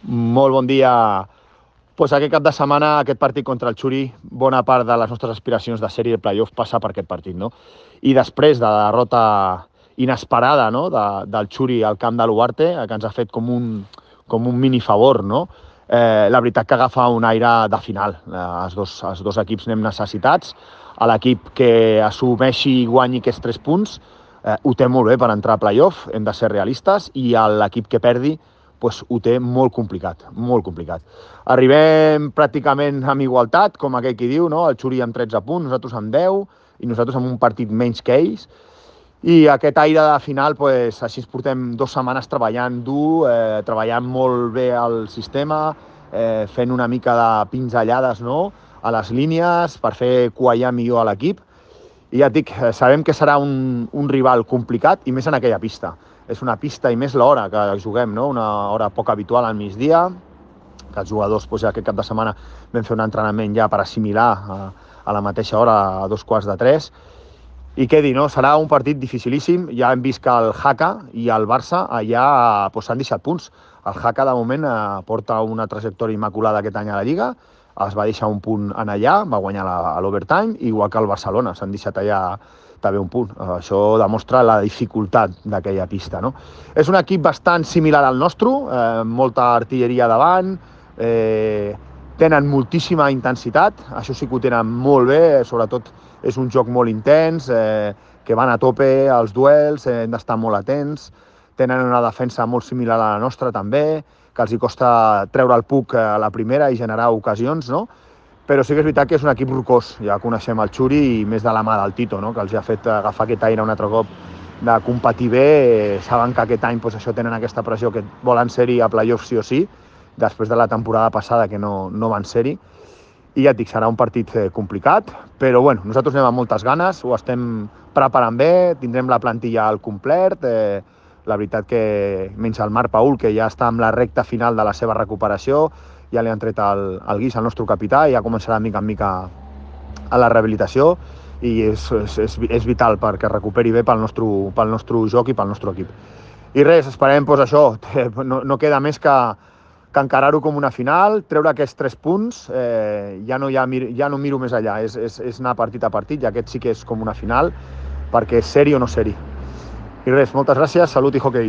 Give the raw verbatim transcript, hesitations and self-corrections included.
Molt bon dia. Pues aquest cap de setmana, aquest partit contra el Xuri, bona part de les nostres aspiracions de sèrie de playoff passa per aquest partit, no? I després de la derrota inesperada, no?, de, del Xuri al camp de l'Uarte, que ens ha fet com un, com un mini favor, no? Eh, la veritat que agafa un aire de final. Eh, els, dos, els dos equips anem necessitats. A l'equip que assumeixi i guanyi aquests tres punts eh, ho té molt bé per entrar a playoff, hem de ser realistes, i l'equip que perdi pues, ho té molt complicat, molt complicat. Arribem pràcticament amb igualtat, com aquell qui diu, no? El Xuri amb tretze punts, nosaltres amb deu, i nosaltres amb un partit menys que ells. I aquest aire de final, pues, així ens portem dues setmanes treballant dur, eh, treballant molt bé el sistema, eh, fent una mica de pinzellades, no?, a les línies per fer quallar millor a l'equip. I ja et dic, sabem que serà un, un rival complicat, i més en aquella pista. És una pista i més l'hora que juguem, no? Una hora poc habitual al migdia, que els jugadors doncs, ja aquest cap de setmana vam fer un entrenament ja per assimilar a, a la mateixa hora, a dos quarts de tres. I què dir, no? Serà un partit dificilíssim. Ja hem vist que el Jaca i el Barça allà doncs, s'han deixat punts. El Jaca, de moment, eh, porta una trajectòria immaculada aquest any a la Lliga, es va deixar un punt en allà, va guanyar la, a l'overtime, igual que el Barcelona, s'han deixat allà també un punt. Això demostra la dificultat d'aquella pista, no? És un equip bastant similar al nostre, eh, molta artilleria davant, eh, tenen moltíssima intensitat, això sí que ho tenen molt bé, sobretot és un joc molt intens, eh, que van a tope als duels, eh, hem d'estar molt atents, tenen una defensa molt similar a la nostra també, que els hi costa treure el puck a la primera i generar ocasions, no? Però sí que és veritat que és un equip rocós. Ja coneixem el Xuri i més de la mà del Tito, no?, que els ha fet agafar aquest aire un altre cop de competir bé. Saben que aquest any doncs, això tenen aquesta pressió que volen ser-hi a playoff sí o sí, després de la temporada passada que no, no van ser-hi. I ja et dic, serà un partit complicat, però bueno, nosaltres anem amb moltes ganes, ho estem preparant bé, tindrem la plantilla al complet. Eh, la veritat que menys el Marc Paul, que ja està amb la recta final de la seva recuperació, ja li han tret el, el guix al nostre capità i ja començarà mica en mica a la rehabilitació, i és, és, és vital perquè recuperi bé pel nostre, pel nostre joc i pel nostre equip. I res, esperem doncs, això, no, no queda més que, que encarar-ho com una final, treure aquests tres punts, eh, ja, no, ja, ja no miro més allà, és, és, és anar partit a partit, i aquest sí que és com una final, perquè és ser-hi o no ser-hi. I res, moltes gràcies, salut i hoquei.